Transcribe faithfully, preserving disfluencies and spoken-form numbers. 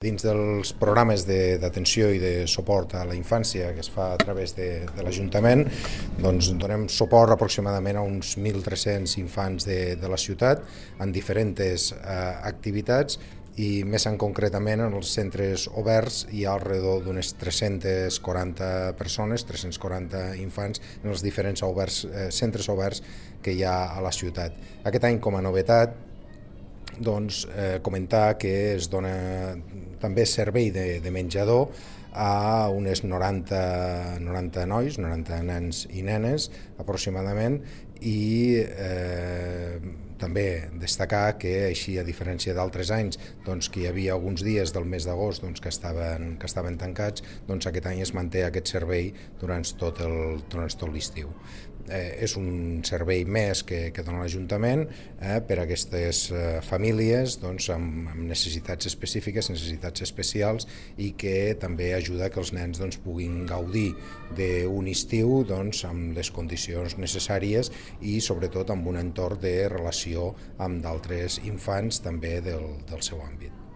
Dins dels programes d'atenció i de suport a la infància que es fa a través de, de l'Ajuntament, doncs donem suport aproximadament a uns mil tres-cents infants de, de la ciutat en diferents eh, activitats i més en concretament en els centres oberts hi ha alrededor d'unes tres-centes quaranta persones, tres-cents quaranta infants en els diferents oberts, eh, centres oberts que hi ha a la ciutat. Aquest any, com a novetat, doncs, eh, comentar que es dona també servei de, de menjador a unes noranta, noranta nois, noranta nens i nenes aproximadament, i eh, també destacar que, així a diferència d'altres anys, doncs, que hi havia alguns dies del mes d'agost doncs, que, estaven, que estaven tancats, doncs aquest any es manté aquest servei durant tot el, durant tot l'estiu. Eh, és un servei més que, que dona l'Ajuntament eh, per a aquestes eh, famílies doncs, amb, amb necessitats específiques, necessitats especials, i que també ajuda que els nens doncs, puguin gaudir d'un estiu doncs, amb les condicions necessàries i sobretot amb un entorn de relació amb d'altres infants també del, del seu àmbit.